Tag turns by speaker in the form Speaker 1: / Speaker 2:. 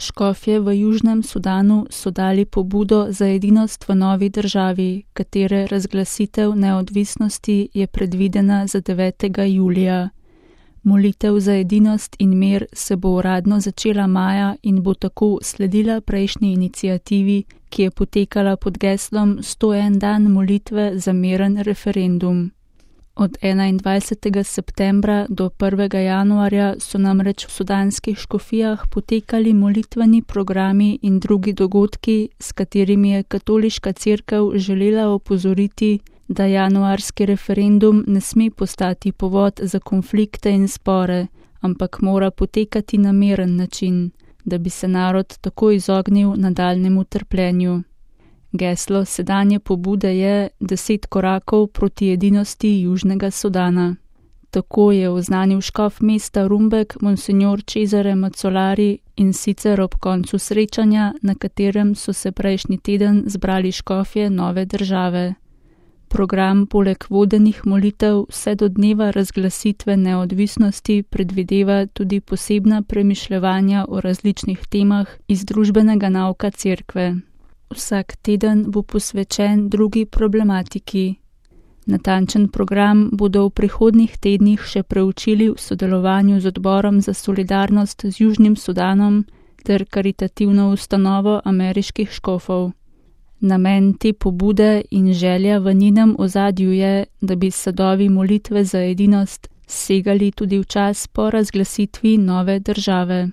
Speaker 1: Škofje v Južnem Sudanu so dali pobudo za edinost v novi državi, katere razglasitev neodvisnosti je predvidena za 9. julija. Molitev za edinost in mir se bo uradno začela maja in bo tako sledila prejšnji iniciativi, ki je potekala pod geslom 101 dan molitve za miren referendum. Od 21. septembra do 1. januarja so namreč v sudanskih škofijah potekali molitveni programi in drugi dogodki, s katerimi je katoliška cerkev želela opozoriti, da januarski referendum ne sme postati povod za konflikte in spore, ampak mora potekati na miren način, da bi se narod tako izognil nadaljnjemu trpljenju. Geslo sedanje pobude je 10 korakov proti edinosti Južnega Sudana. Tako je oznanil škof mesta Rumbek Monsignor Cesare Mazolari, in sicer ob koncu srečanja, na katerem so se prejšnji teden zbrali škofje nove države. Program poleg vodenih molitev vse do dneva razglasitve neodvisnosti predvideva tudi posebna premišljevanja o različnih temah iz družbenega nauka cerkve. Vsak teden bo posvečen drugi problematiki. Natančen program bodo v prihodnjih tednih še preučili v sodelovanju z Odborom za solidarnost z Južnim Sudanom ter karitativno ustanovo ameriških škofov. Namen te pobude in želja v njenem ozadju je, da bi sadovi molitve za edinost segali tudi v čas po razglasitvi nove države.